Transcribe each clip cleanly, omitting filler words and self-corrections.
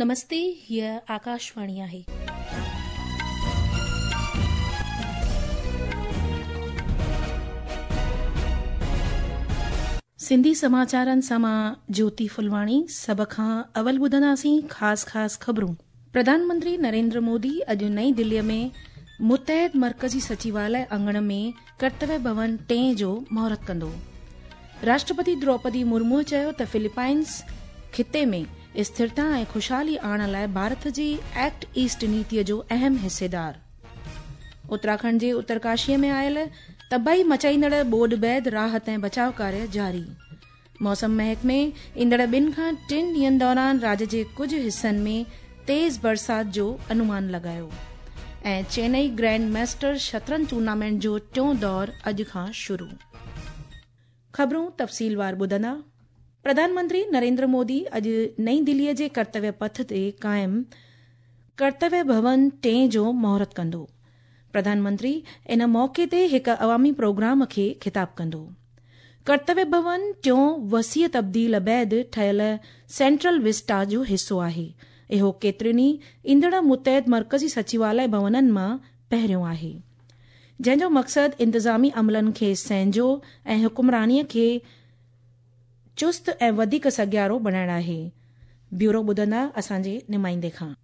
نمستي، هيء آڪاشواڻي آهي. سنڌي سماچارن سان مان جوتي ڦلواڻي سڀ کان اول ٻڌنداسين خاص خاص خبرون. پرڌان منتري نريندر مودي اڄ نئين دليء ۾ متحد مرڪزي سچيواليه اڱڻ ۾ ڪرتويه ڀون ٽئين جو مهورت ڪندو. راشٽرپتي دروپدي مرموء چيو ته فلپائنس خطي ۾ اسٿرتا ۽ خوشحالي آڻڻ لاء ڀارت جي ايڪٽ ايسٽ نيتيء جو اهم حصيدار. اتراکنڊ جي اترڪاشيء ۾ آيل تباهي مچائيندڙ ٻوڏ بعد راحت ۽ بچاء ڪاريه جاري. موسم محڪمي ايندڙ ٻن کان ٽن ڏينهن دوران راڄ جي ڪجهه حصن ۾ تيز برسات جو انومان لڳايو ۽ چينئي گرينڊ ماسٽر شطرنج ٽورنامينٽ جو ٽيون دور اڄ کان شروع. خبرون تفصيلوار ٻڌندا. پرڌان منتري نريندر مودي اڄ نئين دليء جي ڪرتويه پٿ تي قائم ڪرتويه ڀون ٽئين جو مهورت ڪندو. پرڌان منتري ان موقعي تي هڪ عوامي پروگرام کي خطاب ڪندو. ڪرتويه ڀون ٽيون وسيع تبديل بعد ٺهيل سينٽرل وسٽا جو حصو آهي. اهو ڪيترين ئي ايندڙ متحد مرڪزي سچيواليه ڀونن مان پهريون آهي. جنهن جو مقصد انتظامي عملن کي سهنجو ۽ حڪمرانيء کي چست ۽ وڌيڪ سگهارو بڻائڻ آهي. بيورو ٻڌندا اسان جي نمائندي کان.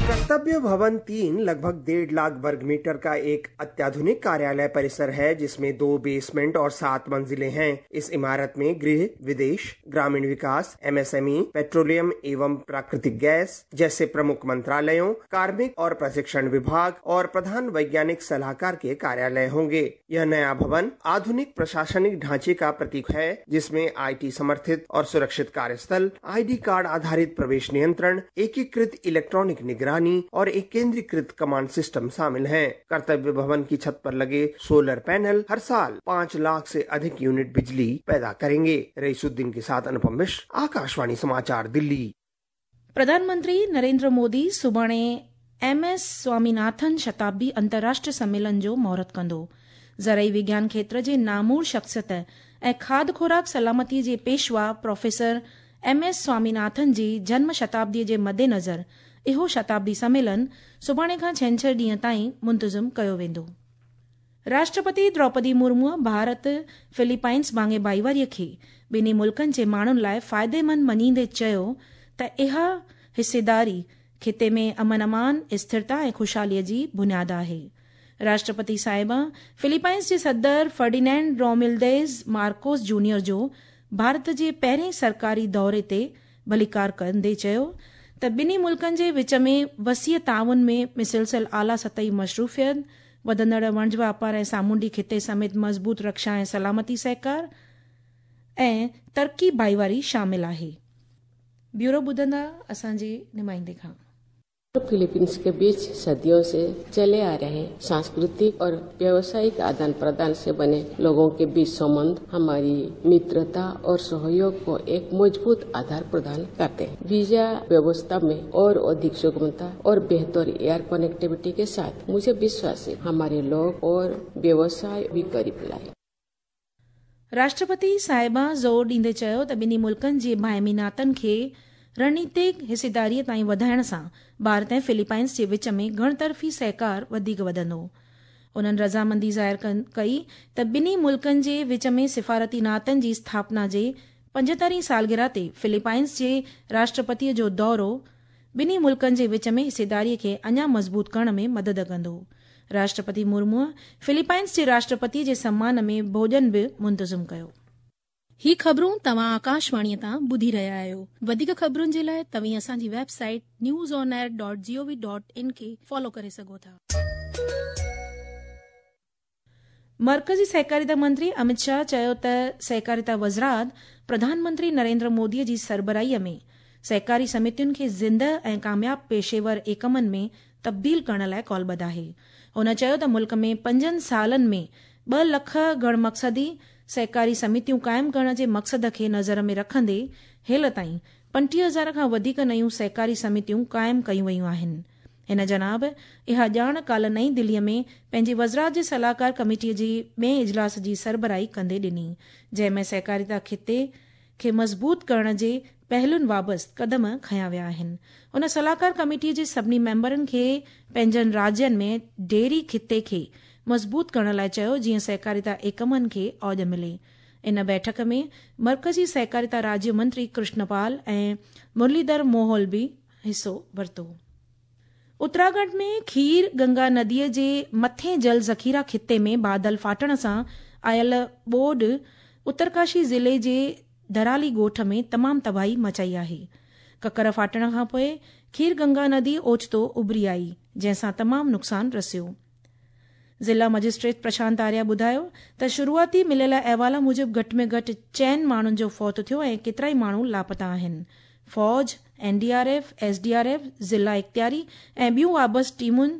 कर्तव्य भवन 3 लगभग 1.5 लाख वर्ग मीटर का एक अत्याधुनिक कार्यालय परिसर है, जिसमें 2 बेसमेंट और 7 मंजिलें हैं। इस इमारत में गृह, विदेश, ग्रामीण विकास, एमएसएमई, पेट्रोलियम एवं प्राकृतिक गैस जैसे प्रमुख मंत्रालयों, कार्मिक और प्रशिक्षण विभाग और प्रधान वैज्ञानिक सलाहकार के कार्यालय होंगे। यह नया भवन आधुनिक प्रशासनिक ढांचे का प्रतीक है, जिसमें IT समर्थित और सुरक्षित कार्यस्थल, आईडी कार्ड आधारित प्रवेश नियंत्रण, एकीकृत इलेक्ट्रॉनिक निगरानी और एक केंद्रीकृत कमांड सिस्टम शामिल हैं। कर्तव्य भवन की छत पर लगे सोलर पैनल हर साल 5 लाख से अधिक यूनिट बिजली पैदा करेंगे। रईसुद्दीन के साथ अनुपम मिश्र, आकाशवाणी समाचार, दिल्ली। प्रधानमंत्री नरेंद्र मोदी सुभाणे एम एस स्वामीनाथन शताब्दी अंतर्राष्ट्रीय सम्मेलन जो मुहूर्त कंदो। ज़रई विज्ञान क्षेत्र जे नामूर शख्सियत ऐं खाध खुराक सलामती जे पेशवा प्रोफेसर एम एस स्वामीनाथन जी जन्म शताब्दीअ जे मद्देनज़र इहो शताब्दी सम्मेलन सुभाणे खां छेंछर ॾींहं ताईं मुंतज़िम कयो वेंदो। राष्ट्रपति द्रौपदी मुर्मूअ भारत फिलीपाइंस भाङे भाईवारीअ खे ॿिन्ही मुल्कनि जे माण्हुनि लाइ फ़ाइदेमंद मञींदे चयो त इहा हिस्सेदारी खिते में अमन अमान, स्थिरता ऐं ख़ुशहालीअ जी बुनियाद आहे। राष्ट्रपति साहिबा फिलीपाइंस जे सदर फर्डिनेंड रोमिल्देज मार्कोस जूनियर जो भारत जे पहिरें सरकारी दौरे ते भलीकार कंदे चयो त ॿिन्ही मुल्कनि जे विच में वसीअ ताउन में मुसलसल आला सतही मशरूफ़ियत, वधंदड़ वणज वापार ऐं सामुंडी खिते समेत मज़बूत रक्षा ऐं सलामती सहकार ऐं तरक़ी भाईवारी शामिल आहे। ब्यूरो ॿुधंदा असांजे नुमाइंदे खां। फिलीपींस के बीच सदियों से चले आ रहे सांस्कृतिक और व्यावसायिक आदान प्रदान से बने लोगों के बीच संबंध हमारी मित्रता और सहयोग को एक मजबूत आधार प्रदान करते हैं। वीजा व्यवस्था में और अधिक सुगमता और बेहतर एयर कनेक्टिविटी के साथ मुझे विश्वास है हमारे लोग और व्यवसाय भी करीब लाए। राष्ट्रपति साहिबा ज़ोर ॾींदे चयो त ॿिन्ही मुल्कनि जे बाहिमी नातनि खे रणनीतिक हिस्सेदारीअ ताईं वधाइण सां भारत ऐं फिलीपाइंस जे विच में घणतरफ़ी सहकार वधीक वधंदो। उन्हनि रज़ामंदी ज़ाहिर कई त ॿिन्ही मुल्कनि जे विच में सिफ़ारती नातनि जी स्थापना जे 75वीं सालगिरह ते फिलीपाइंस जे राष्ट्रपतीअ जो दौरो ॿिन्ही मुल्कनि जे विच में हिस्सेदारीअ खे अञा मज़बूत करण में मदद कंदो। राष्ट्रपति मुर्मूअ फिलीपाइंस जे राष्ट्रपतीअ जे सम्मान में भोॼन बि मुंतज़िम कयो। ही ख़बरूं तव्हां आकाशवाणीअ तां ॿुधी रहिया आहियो। वधीक ख़बरुनि जे लाइ तव्हीं असांजी वेबसाइट newsonair.gov.in खे फॉलो करे सघो था। मर्कज़ी सहकारिता मंत्री अमित शाह चयो त सहकारिता वज़रात प्रधानमंत्री नरेंद्र मोदीअ जी सरबराहीअ में सहकारी समितियुनि खे ज़िंदह ऐं कामयाब पेशेवर एकमनि में तब्दील करण लाइ कॉलबद्ध आहे। हुन चयो त मुल्क में 5 सालनि में 2 लख घणमक़सदी सहकारी समितियूं क़ाइमु करण जे मक़सद खे नज़र में रखंदे हेल ताईं 35,000 खां वधीक नयूं सहकारी समितियूं क़ाइमु कयूं वयूं आहिनि। हिन जनाब इहा ॼाण काल्ह नई दिल्लीअ में पंहिंजी वज़रात जे सलाहकार कमेटीअ जे ॿिए इजलास जी सरबराही कंदे ॾिनी, जंहिं में सहकारिता खिते खे मज़बूत करण जे پهلن وابسته قدم کنيا ويا آهن. ان صلاحڪار ڪميٽي جي سڀني ميمبرن کي پنهنجن راجين ۾ ڊيري خطي کي مضبوط ڪرڻ لاء چيو جيئن سهڪاريتا ايڪمن کي اوڄ ملي. ان بيٺڪ ۾ مرڪزي سهڪاريتا راجيه منتري ڪرشن پال ۽ مرليڌر موهول به حصو ورتو. اتراکنڊ ۾ کير گنگا نديء جي مٿين جل ذخيرا خطي ۾ بادل ڦاٽڻ سان آيل ٻوڏ اترڪاشي ضلعي جي ڌرالي ڳوٺ ۾ تمام تباهي مچائي آهي. ڪڪر ڦاٽڻ کانپوء کير گنگا ندي اوچتو اڀري آئي، جنهن سان تمام نقصان رسيو. ضلع مئجسٽريٽ پرشانت آريا ٻڌايو ته شروعاتي مليل احوال موجب گهٽ ۾ گهٽ چئن ماڻهن جو فوت ٿيو ۽ ڪيترائي ماڻهو لاپتا آهن. فوج، N D R F, S D R F, ضلع اختياري ۽ ٻيون وابسته ٽيمن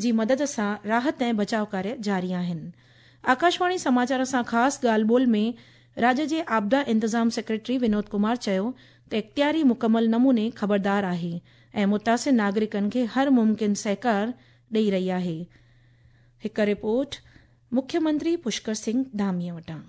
جي مدد سان راحت ۽ بچاء ڪاريه جاري آهن. آڪاشواڻي سماچار سان خاص ڳالهه ٻولهه ۾ راڄ جي آپدا انتظام سيڪريٽري ونود ڪمار چيو ته اختياري مڪمل نموني خبردار آهي ۽ متاثر ناگرڪن کي هر ممڪن سهڪار ڏئي رهي آهي. هڪ رپورٽ مکيه منتري پشڪر سنگهه ڌاميء وٽان.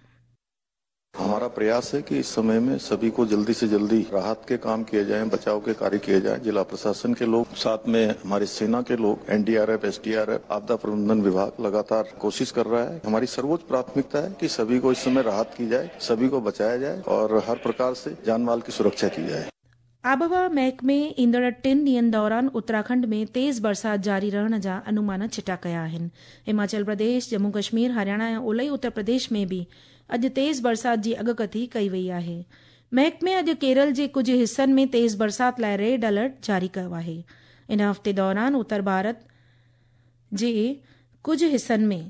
हमारा प्रयास है कि इस समय में सभी को जल्दी से जल्दी राहत के काम किए जाएं, बचाव के कार्य किए जाएं। जिला प्रशासन के लोग, साथ में हमारी सेना के लोग, एनडीआरएफ, एसडीआरएफ, आपदा प्रबंधन विभाग लगातार कोशिश कर रहा है। हमारी सर्वोच्च प्राथमिकता है कि सभी को इस समय राहत की जाए, सभी को बचाया जाए और हर प्रकार से जान माल की सुरक्षा की जाए। आबहवा महڪمي ايندڙ ٽن ڏينهن دوران اتراکنڊ ۾ تيز برسات جاري رهڻ جا انومان چٽا ڪيا آهن. هماچل پرديش، ڄمون ڪشمير، هرياڻا ۽ اولهي اتر پرديش ۾ به اڄ تيز برسات جي اڳڪٿي ڪئي وئي آهي. محڪمي اڄ ڪيرل جي ڪجهه حصن ۾ تيز برسات لاء ريڊ الرٽ جاري ڪيو آهي. ان هفتي دوران اتر ڀارت جي ڪجهه حصن ۾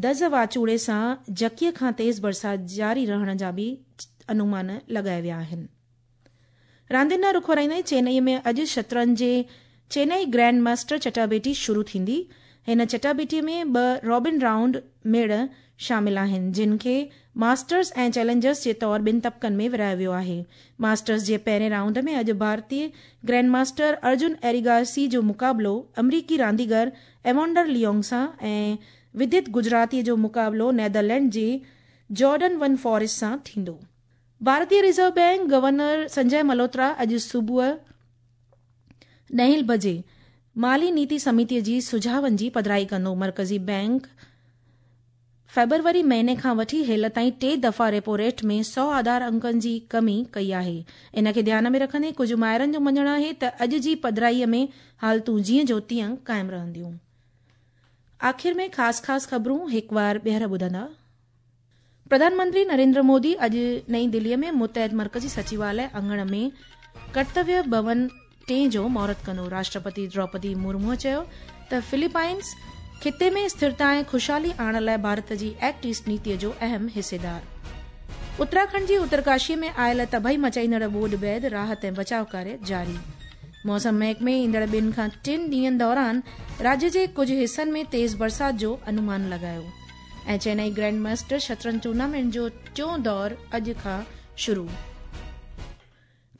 دز واچوڙي سان جهڪي کان تيز برسات جاري رهڻ جا به انومان لڳايا ويا آهن. راندين ڏانهن رخ ورائيندي چينئي ۾ اڄ شطرنج جي چينئي گرينڊ ماسٽر چٽاڀيٽي شروع ٿيندي. هن چٽاڀيٽي ۾ ٻه رابن رائونڊ ميڙ شامل آهن، جن کي ماسٽرز ۽ چئلينجرز جي طور ٻن طبقن ۾ ورهايو ويو آهي. ماسٽرز جي پهرين رائونڊ ۾ اڄ ڀارتي گرينڊ ماسٽر ارجن ايريگاسي جو مقابلو آمريڪي رانديگر ايوانڊر ليونگ سان ۽ ودت گجراتي جو مقابلو نيدرلينڊ جي جارڊن ون فاريسٽ سان ٿيندو. ڀارتي ريزرو بئنڪ گورنر سنجي ملهوترا اڄ صبح ڏهين بجي مالي نيتي سميتي جي سجهاون جي پڌرائي ڪندو. مرڪزي بئنڪ فيبروري مهيني کان وٺي هيل تائين ٽي دفعا ريپو ريٽ ۾ سئو آڌار انڪن جي ڪمي ڪئي آهي. ان کي ڌيان ۾ رکندي ڪجهه ماهرن جو مڃڻ آهي ته اڄ جي پڌرائي ۾ حالتون جيئن جو تيئن قائم رهنديون. آخر ۾ خاص خاص خبرون هڪوار ٻيهر ٻڌندا. پرڌان منتري نريندر مودي اڄ نئين دليء ۾ متحد مرڪزي سچواليه اڱڻ ۾ ڪرتويه ڀون ٽئين جو مهورت ڪندو. راشٽرپتي دروپدي مرموء چيو ته فلپائنز خطي ۾ اسٿرتا ۽ خوشحالي آڻڻ لاء ڀارت جي ايڪٽ ايسٽ نيتي جو اهم حصيدار. اتراکنڊ جي اترڪاشي ۾ آيل تباهي مچائيندڙ ٻوڏ بعد راحت ۽ بچاء ڪاريه جاري. موسم محڪمي ايندڙ ٻن کان ٽن ڏينهن دوران راجيه جي ڪجهه حصن ۾ تيز برسات جو انومان لڳايو. ۽ چينئي گرينڊ ماسٽر شطرنج ٽورنامينٽ جو ٽيون دور اڄ کان شروع.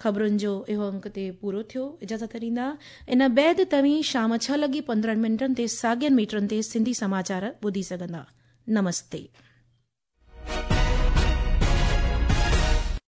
خبرن جو اهو انڪ تي پورو ٿيو. اجازت ڏيندا. ان بعد توهين شام ڇهه لڳي 15 منٽن تي ساڳين ميٽرن تي سنڌي سماچار ٻڌي سگهندا. نمستي.